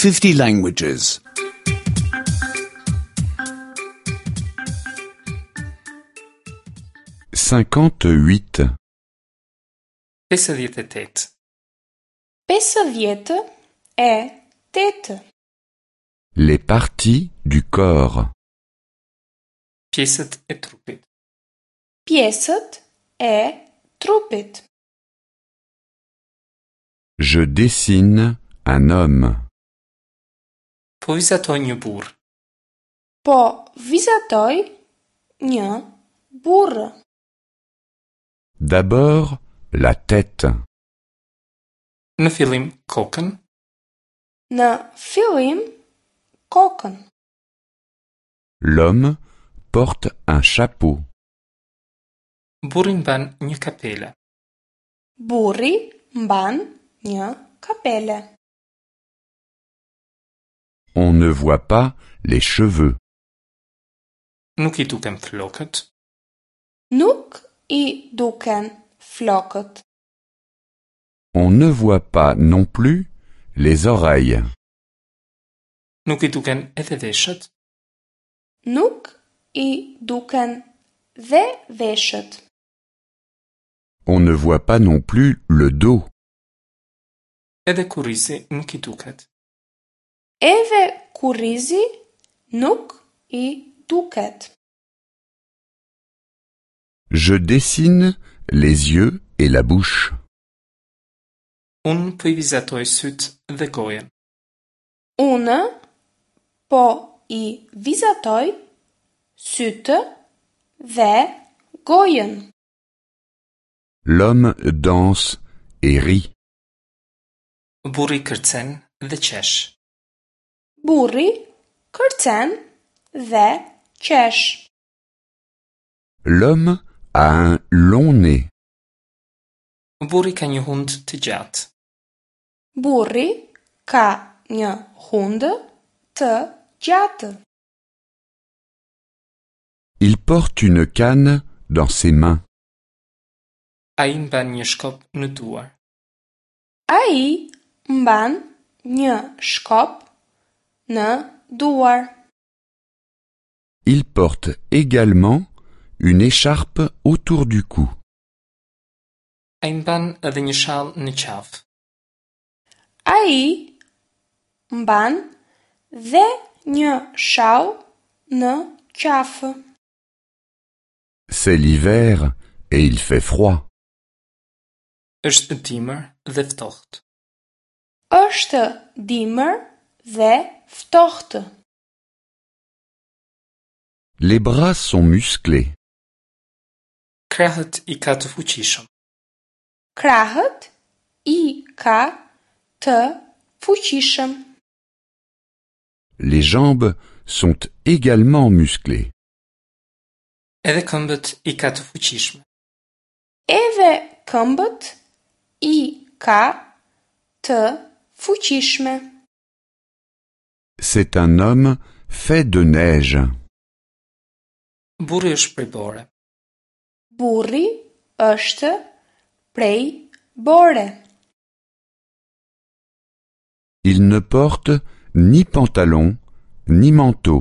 50 languages. 58. 58. 58. Les parties du corps. Pjesët e trupit. Pjesët e trupit. Je dessine un homme. Po vizatoj një burrë. Po vizatoj një burrë. D'abord, la tête. Në fillim kokën, Në fillim kokën. L'homme porte un chapeau. burri mban një kapele. Burri mban një kapele. On ne voit pas les cheveux. Nuk i duken flokët, Nuk i duken flokët. On ne voit pas non plus les oreilles. nuk i duken edhe veshët, Nuk i duken dhe veshët. On ne voit pas non plus le dos. edhe kurrizi nuk i duket. Edhe kurrizi nuk i duket. Je dessine les yeux et la bouche. Unë po i vizatoj sytë dhe gojën. Unë po i vizatoj sytë dhe gojën. L'homme danse et rit. Burri kërcen dhe qesh. Burri kërcen dhe qesh. L'homme a un long nez. Burri ka një hund të gjatë. Burri ka një hundë të gjatë. Il porte une canne dans ses mains. Ai mban një shkop në duar. Ai mban një shkop në duar. Il porte également une écharpe autour du cou. Ai mban edhe një shall në qafë. Ai mban dhe një shall në qafë. C'est l'hiver et il fait froid. Është dimër dhe ftohtë. Është dimër dhe ftohtë. Les bras sont musclés. Krahët i ka të fuqishëm. Krahët i ka të fuqishëm. Les jambes sont également musclées. Edhe këmbët i ka të fuqishme. Edhe këmbët i ka të fuqishme. C'est un homme fait de neige. Burri është prej bore. Burri është prej bore. Il ne porte ni pantalon ni manteau.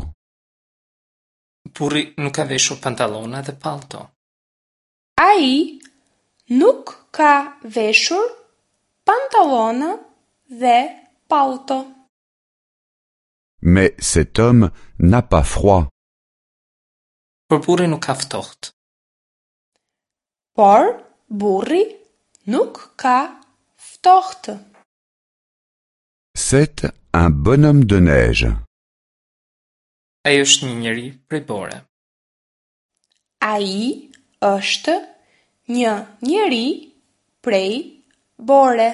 Burri nuk ka veshur pantallona dhe pallto. Ai nuk ka veshur pantallona dhe pallto. Mais cet homme n'a pas froid. Por burri nuk ka ftohtë. Por burri nuk ka ftohtë. C'est un bonhomme de neige. Ai është një njeri prej bore. Ai është një njeri prej bore.